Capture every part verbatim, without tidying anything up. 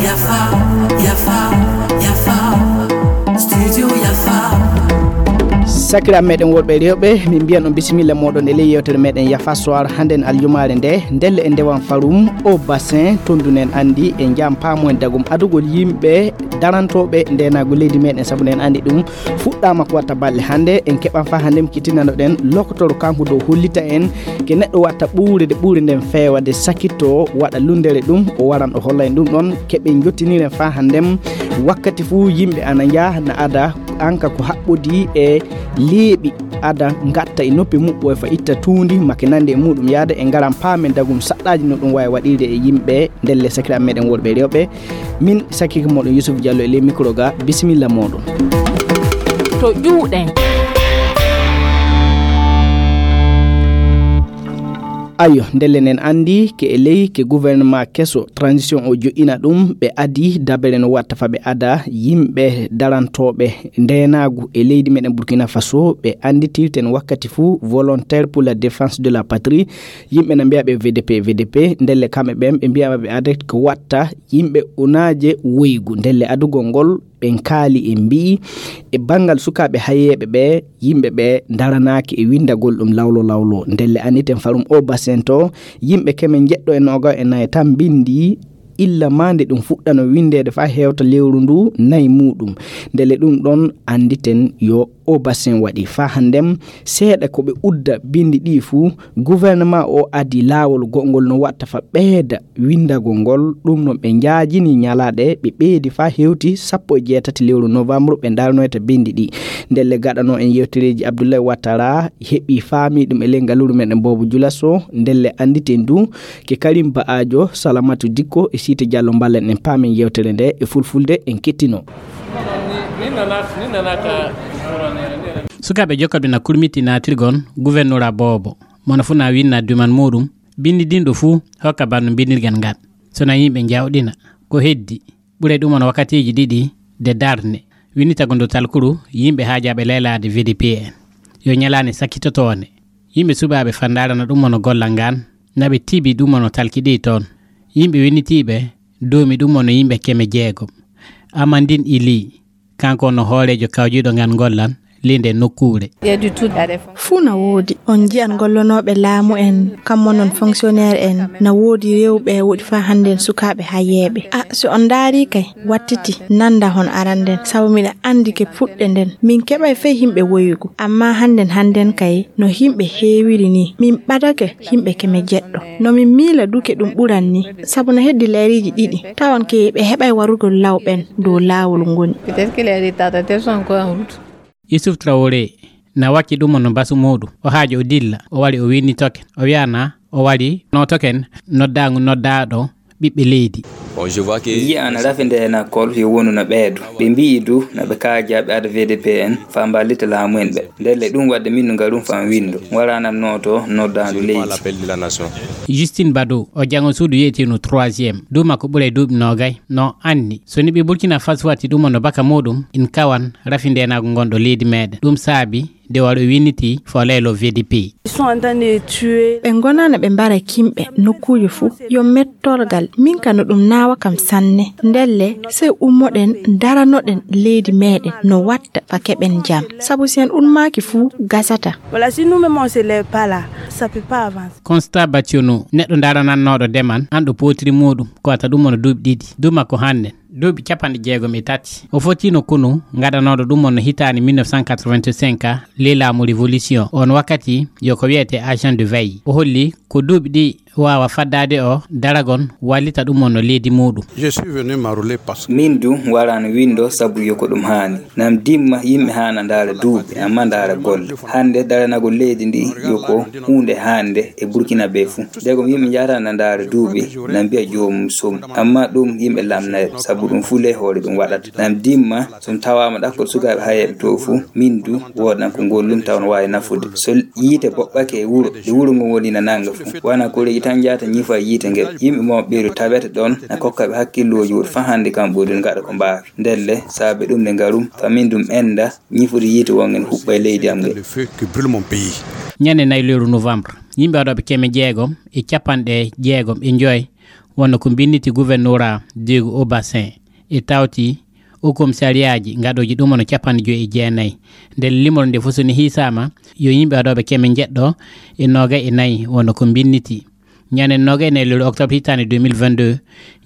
Yafa, yafa, yafa. Studio Yafa. Sakiraaɓe meɗen worɓe e rewɓe, min mbiyan on bisimilla moɗon e ley yewtere meɗen Yafa Soir hannden aljumaare nde. Ndelle en ndewan farum o bassin, tondunen anndi e njam paamoen dagum adugol yimɓe darantooɓe ndenaagu leydi meɗen, sabu nden anndi ɗum fuɗɗaama ko watta balɗe hannde. En keɓan faa hannde mo kitinanoɗen lokotoro kanko dow hollita en ke neɗɗo watta ɓuure de ɓuure nden feewa de sakito waɗa lundere ɗum, o waran o holla en ɗum ɗon. Keɓen jottiniren faa hannde mo wakkati fuu yimɓe ana njaha na ada anka ko haɓɓodii e leeɓi ada ngatta e noppi muɓɓo e fa itta tuundi make nande e muɗum yaada e ngaran paamen dagum saɗɗaaji no ɗum wawi waɗirde e yimɓe ndelle sakiraaɓe meɗen worɓe e rewɓe. Min sakiike moɗon Yusuf Diallo e ley micro ga, bisimilla moɗon. To ƴuuɗen. Ayo, ndelle nen anndi ke e ley ke gouvernement keso transition o joƴƴina ɗum, ɓe adi dabere no watta fa ɓe ada yimɓe darantooɓe ndeenaagu e leydi meɗen Burkina Faso, ɓe annditirten wakkati fuu volontaire pour la défense de la patrie. Yimɓe na mbiya ɓe V D P, V D P, ndelle kamɓe ɓen ɓe mbiyaama ɓe ada ko watta yimɓe unaaje woygu. Ndelle adugol ngol ɓen kaali e mbi'i e banngal sukaaɓe hayeeɓe ɓe, yimɓe ɓe ndaranaaki e winndagol ɗum lawlo lawlo. Ndelle anniten farum o bassin to, yimɓe keme njeɗɗo e noogayo e nayo tan mbinndi illa maa nde ɗum fuɗɗano winndeede faa hewta lewru ndu nayi muɗum. Ndelle ɗum ɗon annditen yo o bassin waɗi faa hannden seeɗa ko ɓe udda binndi ɗi fuu. Gouvernement o adi laawol goɗngol no watta fa ɓeyda winndagol ngol. Ɗum noon ɓe njaajini ñalaaɗe, ɓe ɓeydi faa hewti sappo e jeetati lewru novembre ɓe ndarnoyta binndi ɗi. Ndelle gaɗano en yewtereeji Abdoulaye Ouattara heɓi faami ɗum e ley ngalluuru meɗen Bobo Dioulasso. Ndelle annditen du ke Karim Ba'ajo, Salamatu Dikko e Siite Diallo mballen en paamen yewtere nde e fulfulde en kettino. Sukaaɓe jokkaɓe na kurmiti naatirgon gouvernorat Bobo, mono fuu na winna duman muɗum, binndidinɗo fuu hokka banno binndirgal ngal. So na yimɓe njawɗina ko heddi, ɓuray ɗum on wakkatiiji ɗiɗi de darne, winnitagol ndu talkuru yimɓe haajaaɓe laylaade V D P en. Yo ñalaande sakkitotoonde, yimɓe suɓaaɓe fa ndarana ɗum on gollal ngal, na ɓe tiibi ɗum on talki ɗi toon. Yimɓe winnitiiɓe duumi ɗum on yimɓe keme jeegom. Amandin Ili, kanko on hooreejo kawjiiɗo ngal gollal ley nde nokkuure. Fuu na woodi. On njiyan gollonooɓe laamu en, kammo non fonctionnaire en, na woodi rewɓe woodi faa hannden sukaaɓe hayeeɓe. A, so on ndaari kay, wattiti nanda hon aranden, sabu miɗa anndi ke puɗɗe nden. Min keɓay fey himɓe woyugu, amma hannden hannden kay no himɓe heewiri ni. Min ɓadake himɓe keme jeɗɗo. No min miila duke ɗum ɓuran ni, sabu no heddi leeriiji ɗiɗi, tawan ke ɓe heɓay warugol law ɓen dow laawol ngoni. Peut-être que les retardataires sont encore en route. Yusuf Traoré na wakki ɗum no basu muɗum. O haajo o dilla, o wari o winnitoke. O wi'ana o wari nootoken noddaangu noddaaɗo ɓiɓɓe leydi. Bon, je vois que yiya ana rafi nde na kol yo wonu na ɓeedo. Ɓe mbi'i du na ɓe kaaja ɓe ada V D P en fa mballita laamu en ɓe. Ndelle ɗum wadde min no ngarum fa windo. Waranam nooto noddaandu leydi. Justine Badou, o jango suudu yeetino troisième. Duuma ko ɓuray duuɓi noogay. No anni, so ni ɓe Burkina Faso watti ɗum no baka muɗum, in kawan rafi ndenaagu ngonɗo leydi meɗen. Ɗum saabi de waro winniti fo leylo V D P. Ils sont en train de tuer. Ɓe ngonana ɓe mbara kimɓe nokkuuji fuu. Yo mettorgal. Min ka no ɗum naawa kam sanne. Ndelle, sey ummoɗen, daranoɗen leydi meɗen no watta fa keɓen jam. Sabu si en ummaaki fuu, gasata. Voilà, si nous-mêmes on se lève pas là, ça peut pas avancer. Constat Bationo, neɗɗo daranannooɗo demal, an ɗo pootiri muɗum, ko wata ɗum on duuɓi ɗiɗi. Duuma ko hannden. Duuɓi capanɗe jeegom e tati. O fottiino konu ngaɗanooɗo ɗum on no hitaande mille neuf cent quatre-vingt-cinq, ley laamu révolution. On wakkati yo ko wiyetee agent de veille. O holli ko duuɓi ɗi waawa faddaade o daragon wallita ɗum on no leydi muɗum. Je suis venu m'enrôler parce que min du waraano winndo sabu yo ko ɗum haani. Nam dimma yimɓe haana ndaara duuɓi, amma ndaara golle. Hannde daranagol leydi ndi yo ko huunde haande e Burkina ɓe fuu. Ndegom yimɓe njahata na ndaara duuɓi, na mbi'a joomum som. Amma ɗum yimɓe lamnayɓe, sabu ɗum fuu ley hoore ɗum waɗata. Nam dimma, so mi tawaama ɗakkol sukaaɓe hayeeɓe to fuu, min du woodan ko ngollumi tawa no waawi nafude. So yiite boɓɓake e wuro, nde wuro ngon woni na nannga fuu. Wona koreeji tan njahata ñifa yiite ngel. Yimɓe mawɓe ɓeeru tawete ɗon, na kokka ɓe hakkillooji woɗi faa hannde kam ɓuri ngaɗa ko mbaawi. Ndelle, saabe ɗum nde ngarum, fa min dum enda, ñifude yiite wongen huɓɓa e leydi am nge. Le feu qui brûle mon pays. Ñande nayi lewru novembre, yimɓe waɗooɓe keme jeegom e capanɗe jeegom e joy wonno ko mbinniti gouvernora Diego au Bassin e tawti o komisariyaaji gaɗooji ɗum wonno capanɗe joy e jeenayi. Nden limol nde fof so ni hiisaama, yo yimɓe waɗooɓe keme jeɗɗo e noogay e nayi wonno ko mbinniti. Ñande noogay e nayi lewru octobre hitaande deux mille vingt-deux,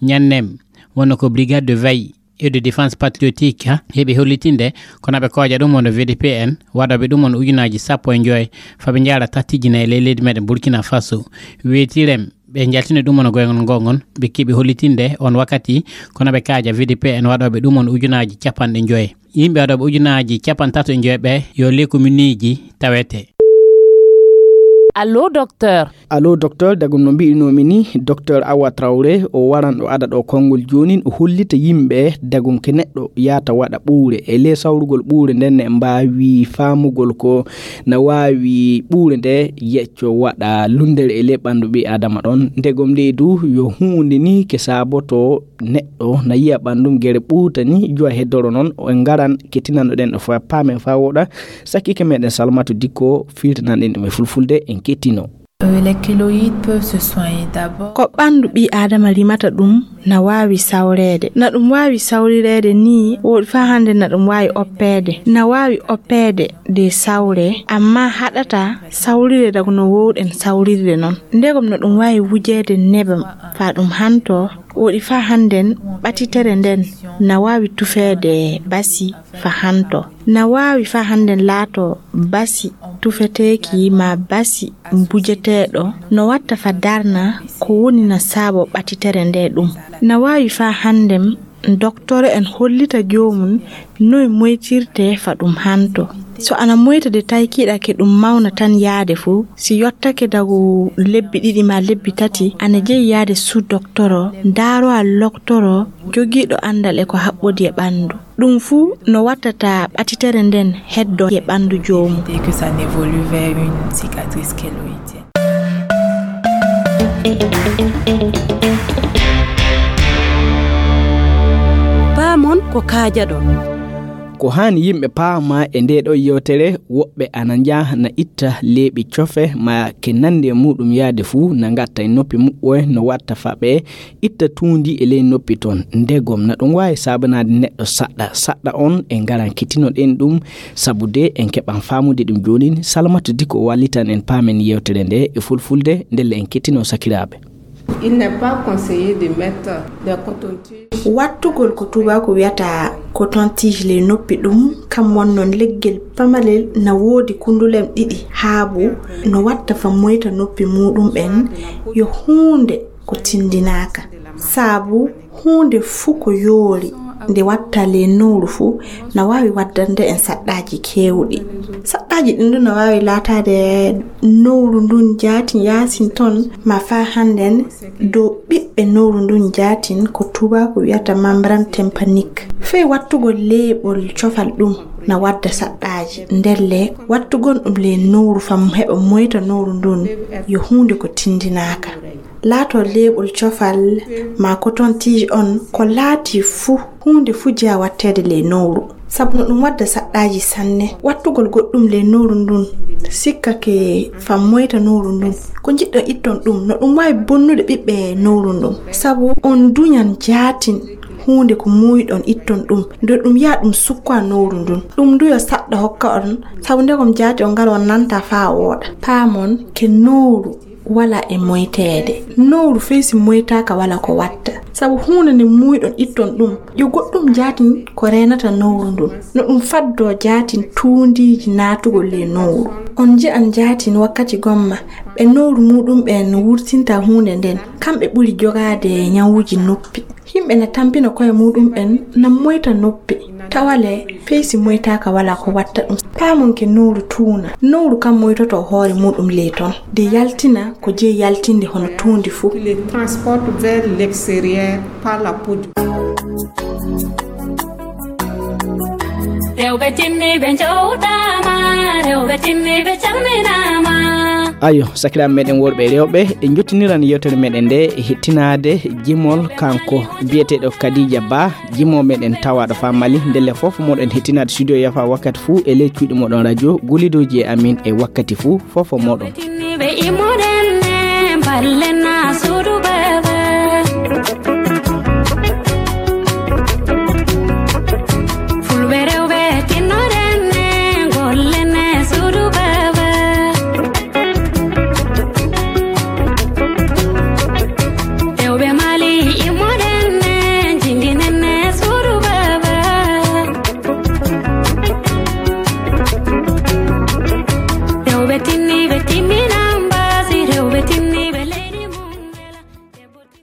ñannem wonno ko brigade de veille et de défense patriotique heɓi hollitinde kono ɓe kooja ɗum wonno V D P N waɗooɓe ɗum wonno ujunaaji sappo e joy faa ɓe njaara tattijina e ley leydi meɗen Burkina Faso. Weetirem ɓe njaltini ɗum wonno goyngol ngol ngon ɓe keɓi hollitinde on wakkati kono ɓe kaaja V D P N waɗooɓe ɗum wonno ujunaaji capanɗe joy. Yimɓe waɗooɓe ujunaaji capanɗe tato e joy ɓe yo ley kominuuji tawete. Allo, docteur. Allo, docteur, dago no mbi'inoomi ni, docteur Awa Traoré, o waran o ada ɗo konngol joonin, o hollita yimɓe dagum ke neɗɗo yaata waɗa ɓuure. E ley sawrugol ɓuure nden, en mbaawi faamugol ko na waawi ɓuure nde yecco waɗa lunndere e ley ɓanndu ɓii Aadama ɗon. Ndegom leydu yo huunde ni ke saaboto neɗɗo na yiya ɓanndum gere ɓuuta ni, jowa heddoro noon, o en ngaran kettinanɗo ɗen ɗo fof, paamen faa wooɗa, sakkike meɗen Salmatu Dikko, filtanan ɗen ɗum e fulfulde, en kettino. Euh, les keloïdes peuvent se soigner d'abord. Ko ɓanndu ɓii Aadama rimata ɗum na waawi sawreede. Na ɗum waawi sawrireede ni, woɗi faa hannde na ɗum waawi oppeede. Na waawi oppeede de sawre, amma haɗata sawrire dago no woowɗen sawrirde noon. Ndegom no ɗum waawi wujeede nebam faa ɗum hanto, woɗi faa hannden ɓatitere nden na waawi tufeede basi faa hanto. Na waawi faa hannden laato basi tufeteeki maa basi mbujeteeɗo no watta faa darna ko woni na saabo ɓatitere nde ɗum. Na waawi faa hannden doktoro en hollita joomum noy moytirte faa ɗum hanto. So ana moyta de taykiɗa ke ɗum mawna tan yaade fuu, si yottake dago lebbi ɗiɗi maa lebbi tati, ana jeyi yaade suu doktoro, daarowa loktoro jogiiɗo anndal e ko haɓɓodi e ɓanndu. Ɗum fuu no wattata ɓatitere nden heddo e ɓanndu joomum. Éviter que ça n'évolue vers une cicatrice keloïdienne. Paamon ko kaajaɗon. Ko haani yimɓe paama e ndee ɗoo yewtere, woɓɓe ana njaha na itta leeɓi cofe ma ke nandi e muɗum yaade fuu, na ngatta e noppi muɓɓoy no watta faa ɓe itta tuundi e ley noppi ton. Ndegom na ɗum waawi saabanaade neɗɗo saɗɗa. Saɗɗa on en ngaran kettinoɗen ɗum, sabu de en keɓan faamude ɗum joonin. Salamata Dikko wallitan en paamen yewtere nde e fulfulde, ndelle en kettino sakiraaɓe. Il n'est pas conseillé de mettre des cotons-tiges. Wattugol ko tuubaaku wiyata coton-tige ley noppi ɗum, kam wonnon leggel pamalel na woodi kundulem ɗiɗi haabu no watta faa moyta noppi muɗum ɓen yo huunde ko tindinaaka. Sabu huunde fuu ko yoori nde watta ley nowru fuu na waawi waddande en saɗɗaaji keewɗi. Saɗɗaaji ɗin ɗum na waawi laataade nowru ndun jaatin yaasin ton, ma faa hannden dow ɓiɓɓe nowru ndun jaatin ko tuubaaku wiyata membrane tympanique. Fey wattugol leeɓol cofal ɗum na wadda saɗɗaaji. Ndelle wattugol ɗum ley nowru faa heɓa moyta nowru ndun yo huunde ko tindinaaka. Laato leeɓol cofal ma coton-tige on ko laati fuu, huunde fuu jeyaa watteede ley nowru. Sabu no ɗum wadda saɗɗaaji sanne. Wattugol goɗɗum ley nowru ndun sikkake faa moyta nowru ndun. Ko njiɗɗon itton ɗum, no ɗum waawi bonnude ɓiɓɓe nowru ndun. Sabu on duñan jaatin huunde ko muuyiɗon itton ɗum, nde ɗum yaa ɗum sukkoya nowru ndun. Ɗum ndu yo saɗɗa hokka on, sabu ndegom jaati on ngara on nanta faa wooɗa. Paamon ke nowru wala e moyteede. Nowru fey si moytaaka wala ko watta. Sabu huunde nde muuyiɗon itton ɗum, yo goɗɗum jaatin ko reenata nowru ndun. No ɗum faddoo jaatin tuundiiji naatugol ley nowru. On nji'an jaatin wakkati gomma ɓe nowru muɗum ɓen wurtinta huunde nden. Kamɓe ɓuri jogaade ñawuuji noppi. Yimɓe na tampina ko'e muɗum ɓen na moyta noppi. Tawa le, fey si moytaaka wala ko watta ɗum. Paamon ke nowru tuuna. Nowru kam moytoto hoore muɗum ley ton. De yaltina ko jeyi yaltinde hono tuundi fuu. Il les transporte vers l'extérieur par la peau du. Rewɓe timmiiɓe njowtaama, rewɓe timmiiɓe calminaama. Ayo, sakiraaɓe meɗen worɓe e rewɓe, en jottiniran yewtere meɗen nde e hettinaade jimol kanko biyeteeɗo Kadija Ba, jimo meɗen tawaaɗo faa Mali. Ndelle fof moɗon hettinaade studio yafa wakkati fuu e ley cuuɗi moɗon radio, gulidooji e amin e wakkati fuu, fof moɗon. Ɓe imoɗen ne, mballen